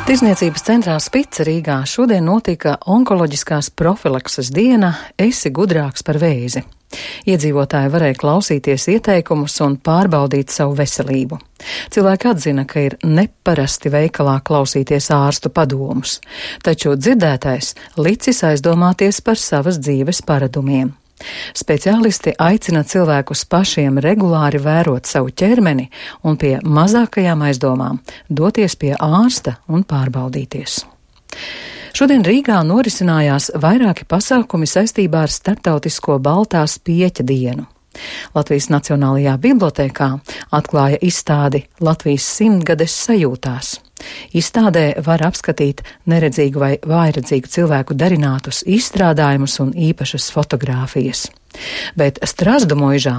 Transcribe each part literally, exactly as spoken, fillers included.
Tirzniecības centrā Spice Rīgā šodien notika onkoloģiskās profilakses diena Esi gudrāks par vēzi. Iedzīvotāji varēja klausīties ieteikumus un pārbaudīt savu veselību. Cilvēki atzina, ka ir neparasti veikalā klausīties ārstu padomus, taču dzirdētais licis aizdomāties par savas dzīves paradumiem. Speciālisti aicina cilvēkus pašiem regulāri vērot savu ķermeni un pie mazākajām aizdomām doties pie ārsta un pārbaudīties. Šodien Rīgā norisinājās vairāki pasākumi saistībā ar starptautisko Baltās pieķa dienu. Latvijas Nacionālajā bibliotēkā atklāja izstādi Latvijas simtgades sajūtās. Izstādē var apskatīt neredzīgu vai vājredzīgu cilvēku darinātus izstrādājumus un īpašas fotogrāfijas. Bet Strazdu muižā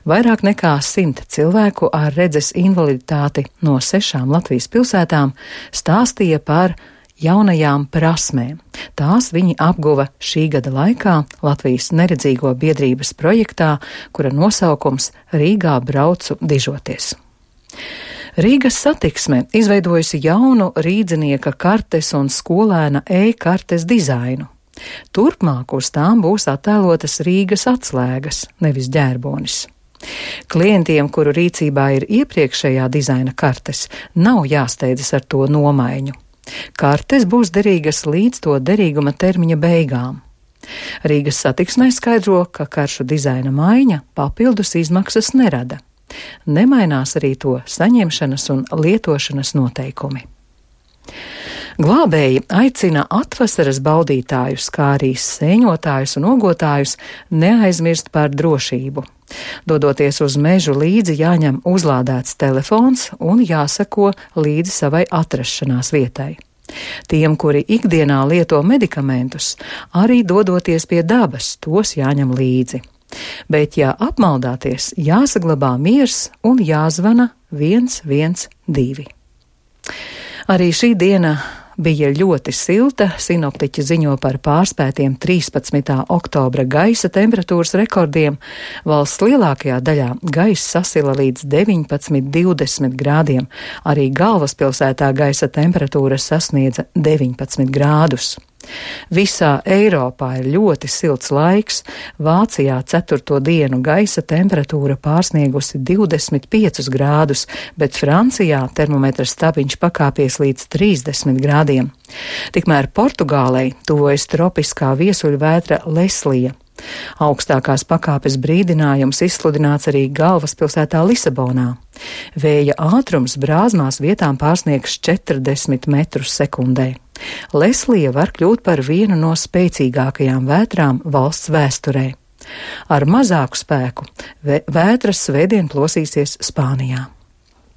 vairāk nekā simt cilvēku ar redzes invaliditāti no sešām Latvijas pilsētām stāstīja par jaunajām prasmēm. Tās viņi apguva šī gada laikā Latvijas neredzīgo biedrības projektā, kura nosaukums Rīgā braucu dižoties. Rīgas satiksme izveidojusi jaunu rīdzinieka kartes un skolēna e-kartes dizainu. Turpmāk uz tām būs attēlotas Rīgas atslēgas, nevis ģērbonis. Klientiem, kuru rīcībā ir iepriekšējā dizaina kartes, nav jāsteidzas ar to nomaiņu. Kartes būs derīgas līdz to derīguma termiņa beigām. Rīgas satiksmē skaidro, ka karšu dizaina maiņa papildus izmaksas nerada. Nemainās arī to saņemšanas un lietošanas noteikumi. Glābēji aicina atvasaras baudītājus, kā arī sēņotājus un ogotājus neaizmirst par drošību. Dodoties uz mežu līdzi jāņem uzlādēts telefons un jāseko līdzi savai atrašanās vietai. Tiem, kuri ikdienā lieto medikamentus, arī dodoties pie dabas, tos jāņem līdzi. Bet, ja apmaldāties, jāsaglabā miers un jāzvana viens viens divi. Arī šī diena bija ļoti silta. Sinoptiķi ziņo par pārspētiem trīspadsmitā oktobra gaisa temperatūras rekordiem. Valsts lielākajā daļā gaisa sasila līdz deviņpadsmit divdesmit grādiem. Arī galvaspilsētā gaisa temperatūra sasniedza deviņpadsmit grādus. Visā Eiropā ir ļoti silts laiks. Vācijā ceturto dienu gaisa temperatūra pārsniegusi divdesmit piecus grādus, bet Francijā termometra stabiņš pakāpies līdz trīsdesmit grādiem. Tikmēr Portugālei tuvojas tropiskā viesuļvētra Leslija. Augstākās pakāpes brīdinājums izsludināts arī galvaspilsētā Lisabonā. Vēja ātrums brāzmās vietām pārsniegs četrdesmit metrus sekundē. Leslija var kļūt par vienu no spēcīgākajām vētrām valsts vēsturē. Ar mazāku spēku vētras svētdien plosīsies Spānijā.